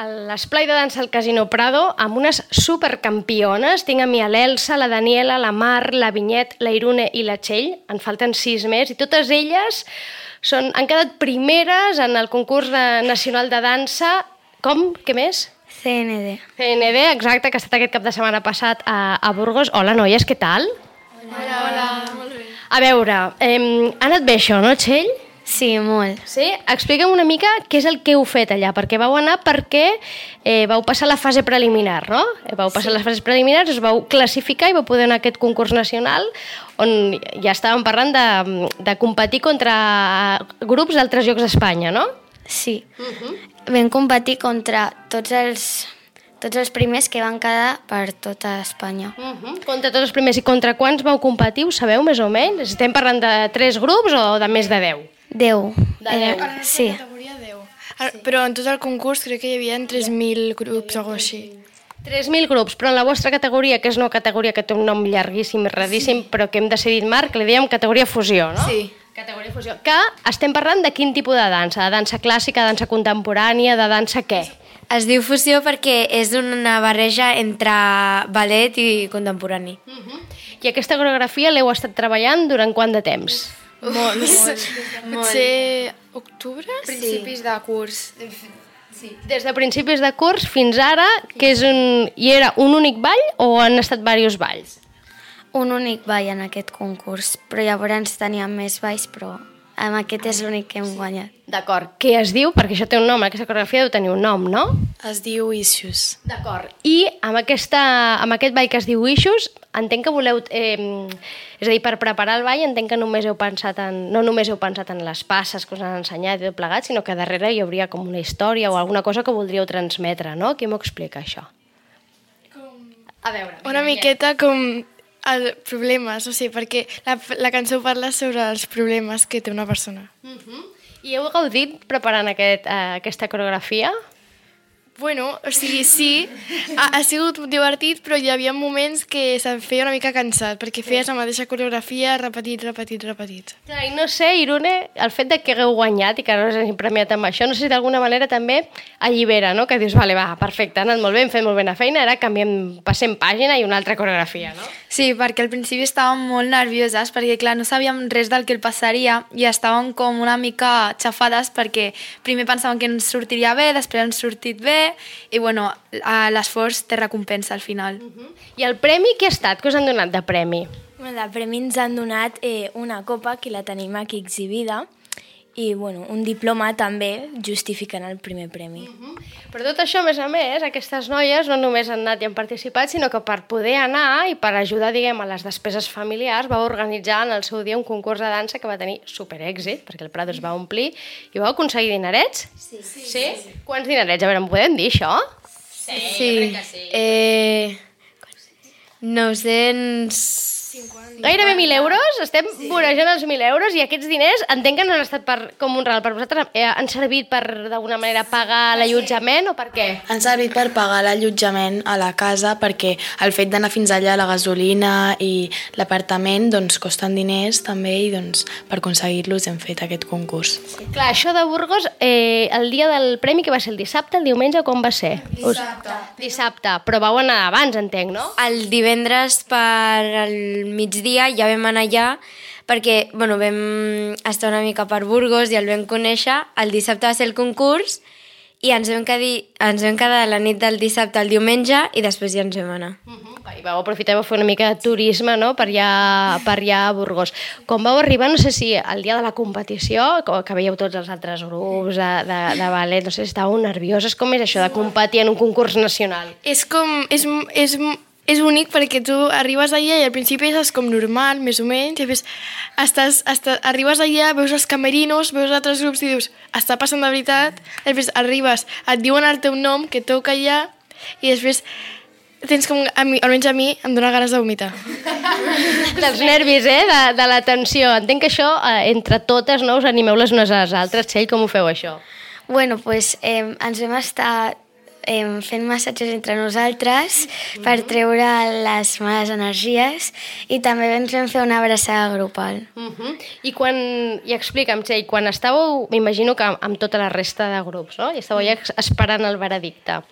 a l'esplai de dansa al Casino Prado amb unes supercampiones. Tinc a mi l'Elsa, la Daniela, la Mar, la Vinyet, la Irune i la Txell. En falten 6 més i totes elles han quedat primeres en el concurs nacional de dansa. Com? Què més? CND. CND, exacte, que ha estat aquest cap de setmana passat a Burgos. Hola, noies, què tal? Hola. Molt bé. A veure, ha anat bé això, no, Txell? Sí, molt. Sí? Explica'm una mica què és el que heu fet allà, perquè vau anar perquè vau passar la fase preliminar, no? Vau passar les fases preliminars, us vau classificar i vau poder anar a aquest concurs nacional on ja estàvem parlant de competir contra grups d'altres llocs d'Espanya, no? Sí. Vam competir contra tots els primers que van quedar per tota Espanya. Contra tots els primers. I contra quants vau competir, ho sabeu més o menys? Estem parlant de 3 grups o de més de 10? 10. De 10. Sí. Categoria 10. Però en tot el concurs crec que hi havia 3.000 grups o alguna cosa així. 3.000 grups, però en la vostra categoria, que és una categoria que té un nom llarguíssim i radíssim, però que hem decidit, Marc, li dèiem categoria fusió, no? Sí. Categoria fusió. Que estem parlant de quin tipus de dansa? De dansa clàssica, de dansa contemporània, de dansa què? Es diu fusió perquè és una barreja entre ballet i contemporani. I aquesta coreografia l'heu estat treballant durant quant de temps? Molt. Potser octubre? Principis de curs. Sí. Des de principis de curs fins ara, que és i era un únic ball o han estat diversos balls? Un únic ball en aquest concurs, però llavors teníem més balls, però amb aquest és l'únic que hem guanyat. D'acord. Què es diu? Perquè això té un nom, aquesta coreografia deu tenir un nom, no? Es diu Issues. D'acord. I amb aquest ball que es diu Issues, entenc que voleu... és a dir, per preparar el ball entenc que no només heu pensat en les passes que us han ensenyat i tot plegat, sinó que darrere hi hauria com una història o alguna cosa que voldríeu transmetre, no? Qui m'ho explica, això? A veure... Una miqueta com problemes, o sigui, perquè la cançó parla sobre els problemes que té una persona. I heu gaudit preparant aquesta coreografia? Bueno, o sigui, sí, ha sigut divertit, però hi havia moments que se'm feia una mica cansat, perquè feies la mateixa coreografia, repetit. Clar, i no sé, Irune, el fet de que hagueu guanyat i que no us hagi premiat amb això, no sé si d'alguna manera també allibera, no? Que dius, vale, va, perfecte, ha anat molt bé, hem fet molt bé la feina, ara passem pàgina i una altra coreografia, no? Sí, perquè al principi estàvem molt nervioses, perquè clar, no sabíem res del que el passaria i estàvem com una mica xafades perquè primer pensàvem que ens sortiria bé, després ens sortit bé i bueno, l'esforç té recompensa al final. I el premi què ha estat? Què us han donat de premi? De premi ens han donat una copa, que la tenim aquí exhibida, i bueno, un diploma també justificant el primer premi. Per tot això, a més, aquestes noies no només han anat i han participat, sinó que per poder anar i per ajudar, diguem, a les despeses familiars, va organitzar en el seu dia un concurs de dansa que va tenir superèxit, perquè el Prado es va omplir, i vau aconseguir dinerets? Sí? Quants dinerets? A veure, em podem dir això? Sí. 900... Gairebé 1.000 euros? Estem vorejant els 1.000 euros i aquests diners entenc que no han estat com un regal per vosaltres. Han servit per, d'alguna manera, pagar l'allotjament o per què? Han servit per pagar l'allotjament a la casa perquè el fet d'anar fins allà, la gasolina i l'apartament, doncs costen diners també i doncs per aconseguir-los hem fet aquest concurs. Clar, això de Burgos, el dia del premi, que va ser el dissabte, el diumenge, com va ser? Dissabte. Però vau anar abans, entenc, no? El divendres per al migdia ja vam anar allà perquè bueno, vam estar una mica per Burgos i el vam conèixer. El dissabte va ser el concurs i ens vam quedar la nit del dissabte al diumenge i després ja ens vam anar. I vau aprofitar i vau fer una mica de turisme, no?, per allà a Burgos. Com vau arribar, no sé si el dia de la competició, que veieu tots els altres grups de ballet, no sé si estàveu nervioses, com és això de competir en un concurs nacional? És únic perquè tu arribes allà i al principi és com normal, més o menys, i després arribes allà, veus els camerinos, veus altres grups i dius, està passant de veritat, després arribes, et diuen el teu nom, que toca allà, i després tens com, almenys a mi, em dóna ganes de vomitar. Dels nervis, de la tensió. Entenc que això, entre totes, no, us animeu les unes a les altres. Txell, com ho feu, això? Bueno, doncs ens vam estar fent massatges entre nosaltres per treure les males energies i també ens vam fer una abraçada grupal. I explica'm, Txell, quan estàveu, m'imagino que amb tota la resta de grups, no? I estàveu ja esperant el veredicte.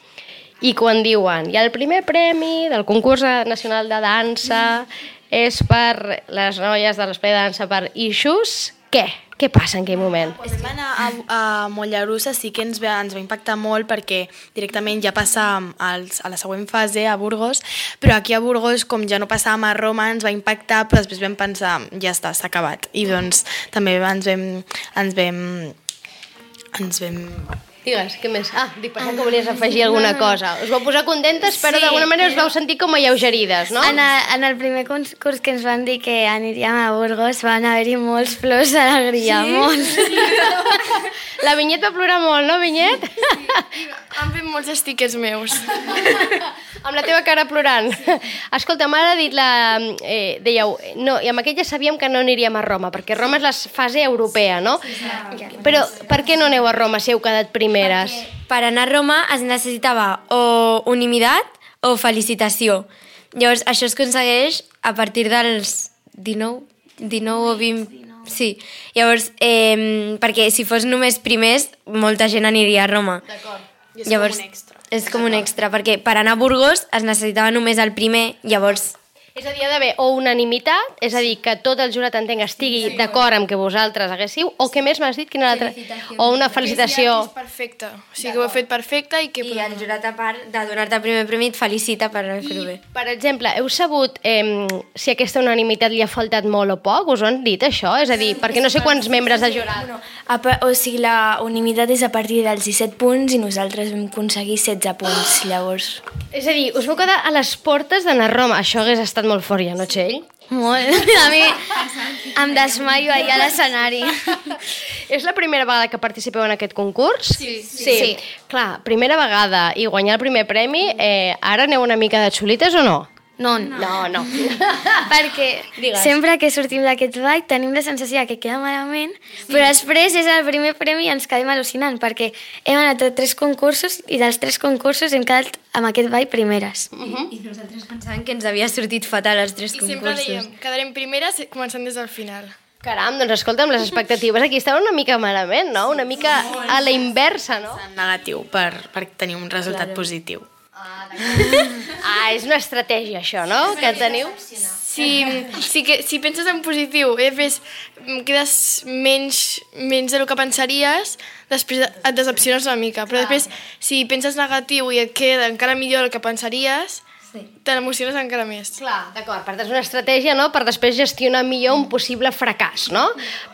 I quan diuen, hi ha el primer premi del concurs nacional de dansa, és per les noies de l'espai de dansa per Ixus, què? Què passa en aquell moment? Quan vam anar a Mollerussa sí que ens va impactar molt perquè directament ja passàvem a la següent fase a Burgos, però aquí a Burgos, com ja no passàvem a Roma, ens va impactar, però després vam pensar, ja està, s'ha acabat. I doncs també ens vam Digues, què més? Dic, pensava que volies afegir alguna cosa. Us vau posar contentes, però d'alguna manera us vau sentir com alleugerides, no? En el primer concurs que ens van dir que aniríem a Burgos van haver-hi molts plors d'alegria, molts. La Vinyet va plorar molt, no, Vinyet? Sí, han fet molts stickers meus. Amb la teva cara plorant. Escolta, m'ha dit dèieu, no, i amb aquest ja sabíem que no aniríem a Roma, perquè Roma és la fase europea, no? Però per què no aneu a Roma si heu quedat primeres? Per anar a Roma es necessitava o unimitat o felicitació. Llavors, això es aconsegueix a partir dels 19 o 20... Sí, llavors, perquè si fos només primers, molta gent aniria a Roma. D'acord. Llavors, és com un extra, perquè per anar a Burgos es necessitava només el primer, llavors... És a dir, ha d'haver o unanimitat, és a dir, que tot el jurat entenc estigui d'acord amb que vosaltres haguéssiu, o què més m'has dit? Quina altra? O una felicitació. Que és perfecte, o sigui que ho heu fet perfecte i que... I el jurat, a part de donar-te el primer premi, et felicita per haver fet-ho bé. Per exemple, heu sabut si aquesta unanimitat li ha faltat molt o poc? Us ho han dit, això? És a dir, perquè no sé quants membres de jurat. O sigui, la unanimitat és a partir dels 17 punts i nosaltres vam aconseguir 16 punts, llavors. És a dir, us vau quedar a les portes d'anar a Roma. Això hagués estat molt fort ja, no, Txell? Molt. A mi em desmaio allà a l'escenari. És la primera vegada que participeu en aquest concurs? Sí. Clar, primera vegada i guanyar el primer premi, ara aneu una mica de xulites o no? No. Perquè Digues. sempre que sortim d'aquest ball tenim la sensació que queda malament, però després és el primer premi i ens quedem al·lucinant, perquè hem anat a 3 concursos i dels 3 concursos hem quedat amb aquest ball primeres. I nosaltres pensàvem que ens havia sortit fatal els 3 I concursos. sempre dèiem, quedarem primeres començant des del final. Caram, doncs escolta'm, les expectatives aquí estaven una mica malament, no? Una mica a la inversa, no? negatiu per tenir un resultat positiu. És una estratègia, això, no?, que teniu. Si penses en positiu i després quedes menys del que pensaries, després et decepciones una mica. Però després, si penses negatiu i et queda encara millor el que pensaries, te l'emociones encara més. Clar, d'acord, per tant és una estratègia, no?, per després gestionar millor un possible fracàs, no?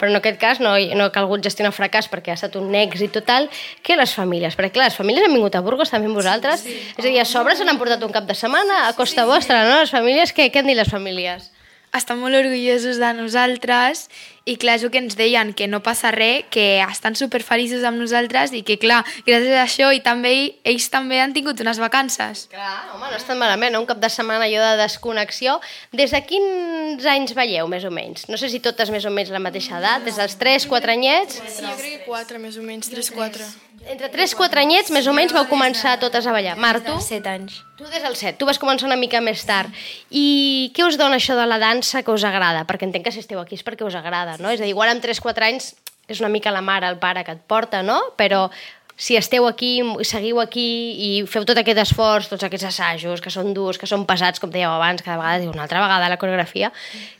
Però en aquest cas no ha calgut gestionar fracàs perquè ha estat un èxit total. Què les famílies? Perquè clar, les famílies han vingut a Burgos també amb vosaltres, és a dir, a sobre se n'han portat un cap de setmana a costa vostra, no? Les famílies, què han dit les famílies? Estan molt orgullosos de nosaltres i clar, és el que ens deien, que no passa res, que estan superfeliços amb nosaltres i que clar, gràcies a això i també ells també han tingut unes vacances. Clar, home, no estan malament, no? Un cap de setmana allò de desconnexió. Des de quins anys veieu, més o menys? No sé si totes més o menys la mateixa edat, des dels 3-4 anyets? Sí, jo crec que 4, més o menys, 3-4. Entre 3-4 anyets, més o menys, vau començar totes a ballar. Mar, tu? 7 anys. Tu des del 7, tu vas començar una mica més tard. I què us dona això de la dansa que us agrada? Perquè entenc que si esteu aquí és perquè us agrada, no? És a dir, igual amb 3-4 anys és una mica la mare, el pare que et porta, no? Però si esteu aquí, seguiu aquí i feu tot aquest esforç, tots aquests assajos que són durs, que són pesats, com dèieu abans, cada vegada, una altra vegada la coreografia,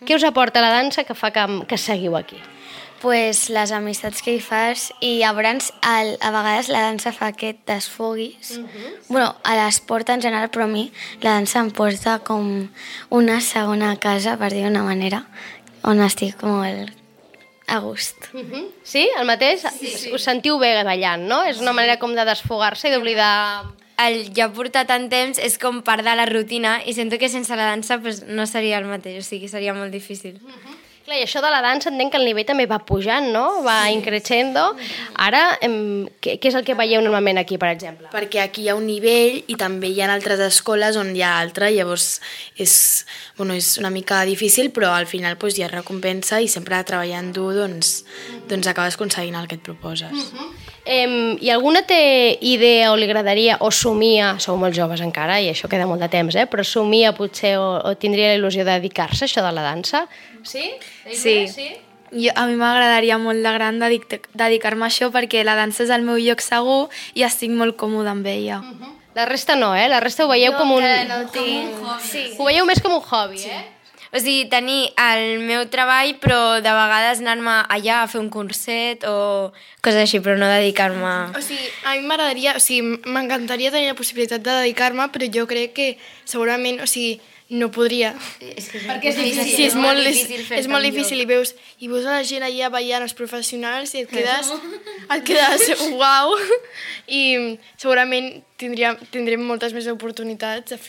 què us aporta la dansa que fa que seguiu aquí? Pues les amistats que hi fas i llavors a vegades la dansa fa que et desfoguis. Bueno, a l'esport en general, però a mi la dansa em porta com una segona casa, per dir-ho d'una manera, on estic molt a gust. Sí, el mateix? Sí. Us sentiu bé ballant, no? És una manera com de desfogar-se i d'oblidar... El ja portar tant temps és com part de la rutina i sento que sense la dansa pues, no seria el mateix, o sigui, seria molt difícil. Clar, i això de la dansa entenc que el nivell també va pujant, no? Va increixendo. Ara, què és el que veieu normalment aquí, per exemple? Perquè aquí hi ha un nivell i també hi ha altres escoles on hi ha altre, llavors és una mica difícil, però al final hi ha recompensa i sempre treballant dur doncs acabes aconseguint el que et proposes. I alguna té idea o li agradaria, o somia, sou molt joves encara i això queda molt de temps, però somia potser o tindria la il·lusió de dedicar-se a això de la dansa? Sí? Sí. A mi m'agradaria molt de gran dedicar-me a això perquè la dansa és el meu lloc segur i estic molt còmoda amb ella. La resta no, La resta ho veieu com un... Sí. Ho veieu més com un hobby, O sigui, tenir el meu treball, però de vegades anar-me allà a fer un curset o coses així, però no dedicar-me... O sigui, a mi m'agradaria, o sigui, m'encantaria tenir la possibilitat de dedicar-me, però jo crec que segurament, o sigui, no podria. Perquè és difícil. Sí, és molt difícil i veus a la gent allà ballant, els professionals, i et quedes uau, i segurament tindrem moltes més oportunitats de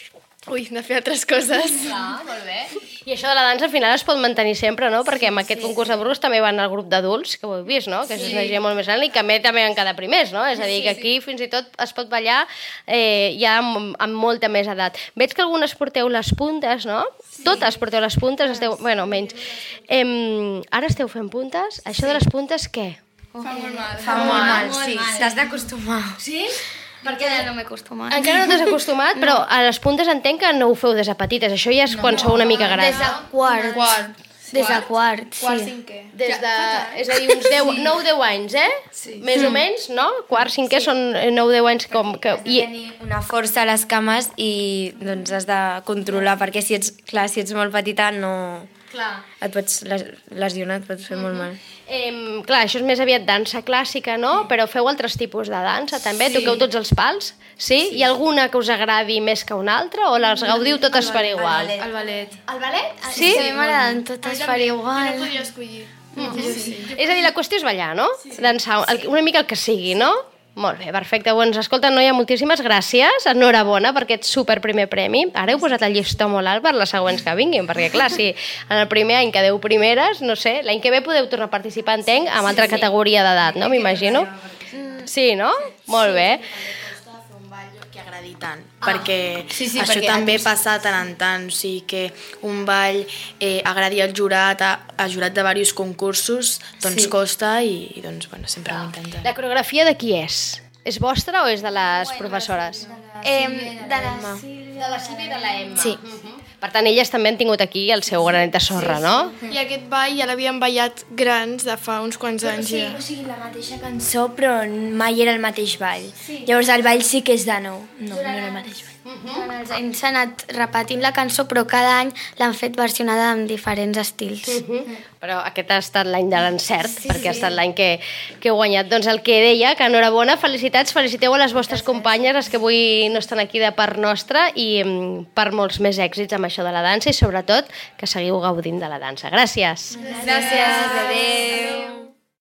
fer altres coses. Clar, molt bé. I això de la dansa al final es pot mantenir sempre, no? Perquè amb aquest concurs de Burgos també van al grup d'adults, que ho heu vist, no? Que és una gent molt més gran i que també van quedar primers, no? És a dir, que aquí fins i tot es pot ballar ja amb molta més edat. Veig que algunes porteu les puntes, no? Totes porteu les puntes, bueno, menys. Ara esteu fent puntes? Això de les puntes, què? Fa molt mal, sí. T'has d'acostumar. Sí? Perquè no m'he acostumat. Encara no t'has acostumat, però a les puntes entenc que no ho feu des de petites. Això ja és quan sou una mica grans. Des de quart. Des de quart, Quart, sí. cinquè. És a dir, uns 9-10 anys, Sí. Més o menys, no? Quart, cinquè són 9-10 anys com... Has de tenir una força a les cames i doncs has de controlar, perquè si ets molt petita no... Clar. Et pots lesionar, et pots fer molt mal. Clar, això és més aviat dansa clàssica, no? Però feu altres tipus de dansa, també? Toqueu tots els pals? Sí? Hi ha alguna que us agradi més que una altra o les gaudiu totes per igual? El ballet. El ballet? Sí? A mi m'agraden totes per igual. No podria escollir. És a dir, la qüestió és ballar, no? Dansar, una mica el que sigui, no? Molt bé, perfecte. Doncs escolta, noia, moltíssimes gràcies. Enhorabona per aquest super primer premi. Ara heu posat el llistó molt alt per les següents que vinguin, perquè clar, si en el primer any quedeu primeres, no sé, l'any que ve podeu tornar a participar, entenc, amb altra categoria d'edat, no? M'imagino. Sí, no? Molt bé. Que agradi tant, perquè això també passa de tant en tant, o sigui que un ball agradi al jurat, a jurat de diversos concursos, doncs costa i doncs, bueno, sempre ho intenten. La coreografia de qui és? És vostra o és de les professores? De la De la Sílvia i de la Emma. Sí. Per tant, elles també han tingut aquí el seu granet de sorra, no? I aquest ball ja l'havien ballat grans de fa uns quants anys ja. O sigui, la mateixa cançó, però mai era el mateix ball. Llavors el ball sí que és de nou. No era el mateix ball. Durant els anys s'ha anat repetint la cançó, però cada any l'han fet versionada amb diferents estils. Però aquest ha estat l'any de l'encert, perquè ha estat l'any que heu guanyat. Doncs el que deia, que enhorabona, felicitats, feliciteu a les vostres companyes, les que avui no estan aquí de part nostra, i per molts més èxits amb això de la dansa i sobretot que seguiu gaudint de la dansa. Gràcies. Gràcies. Adéu.